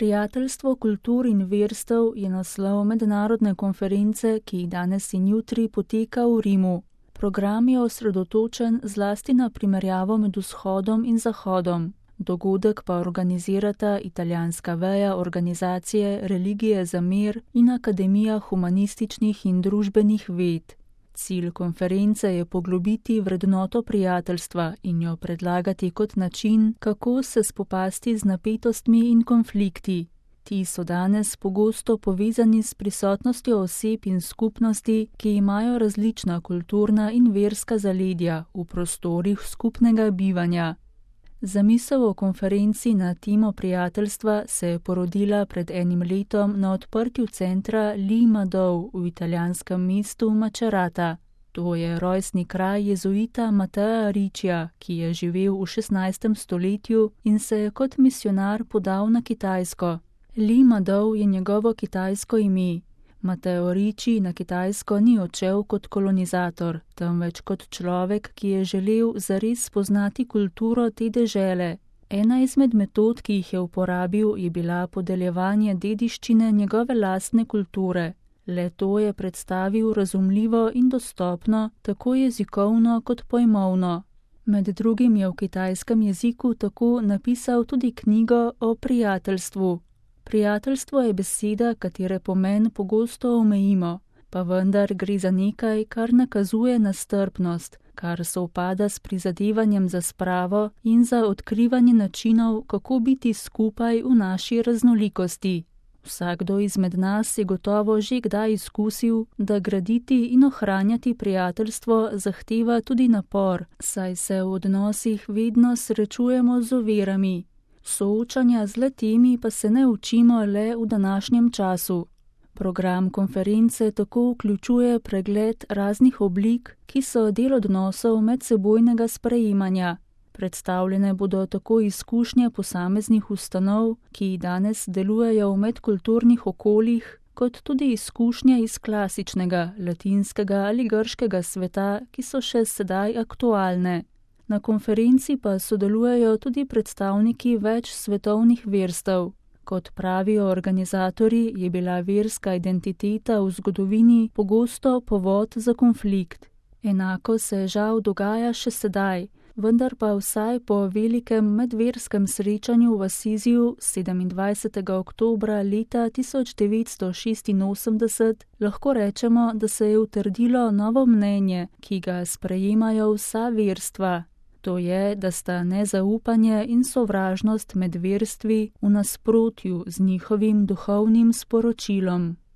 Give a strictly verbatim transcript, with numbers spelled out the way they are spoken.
Prijateljstvo kultur in verstev je naslov mednarodne konference, ki danes in jutri poteka v Rimu. Program je osredotočen zlasti na primerjavo med vzhodom in zahodom. Dogodek pa organizirata italijanska veja organizacije Religije za mir in Akademija humanističnih in družbenih ved. Cilj konference je poglobiti vrednoto prijateljstva in jo predlagati kot način, kako se spopasti z napetostmi in konflikti. Ti so danes pogosto povezani s prisotnostjo oseb in skupnosti, ki imajo različna kulturna in verska zaledja v prostorih skupnega bivanja. Zamisel o konferenci na temo prijateljstva se je porodila pred enim letom na odprtju centra Li Madou v italijanskem mestu Macerata. To je rojstni kraj jezuita Mattea Riccija, ki je živel v šestnajstem stoletju in se je kot misionar podal na Kitajsko. Li Madou je njegovo kitajsko ime. Matteo Ricci na Kitajsko ni odšel kot kolonizator, temveč kot človek, ki je želel zares spoznati kulturo te dežele. Ena izmed metod, ki jih je uporabil, je bila podeljevanje dediščine njegove lastne kulture. Le to je predstavil razumljivo in dostopno, tako jezikovno kot pojmovno. Med drugim je v kitajskem jeziku tako napisal tudi knjigo o prijateljstvu. Prijateljstvo je beseda, katere pomen pogosto omejimo, pa vendar gre za nekaj, kar nakazuje na strpnost, kar sovpada s prizadevanjem za spravo in za odkrivanje načinov, kako biti skupaj v naši raznolikosti. Vsakdo izmed nas je gotovo že kdaj izkusil, da graditi in ohranjati prijateljstvo zahteva tudi napor, saj se v odnosih vedno srečujemo z ovirami. Soočanja z le-temi pa se ne učimo le v današnjem času. Program konference tako vključuje pregled raznih oblik, ki so del odnosov medsebojnega sprejemanja. Predstavljene bodo tako izkušnje posameznih ustanov, ki danes delujejo v medkulturnih okoljih, kot tudi izkušnje iz klasičnega, latinskega ali grškega sveta, ki so še sedaj aktualne. Na konferenci pa sodelujejo tudi predstavniki več svetovnih verstev. Kot pravijo organizatorji, je bila verska identiteta v zgodovini pogosto povod za konflikt. Enako se žal dogaja še sedaj, vendar pa vsaj po velikem medverskem srečanju v Asiziju sedemindvajsetega oktobra leta tisoč devetsto šestinosemdeset lahko rečemo, da se je utrdilo novo mnenje, ki ga sprejemajo vsa verstva. To je, da sta nezaupanje in sovražnost med verstvi v nasprotju z njihovim duhovnim sporočilom.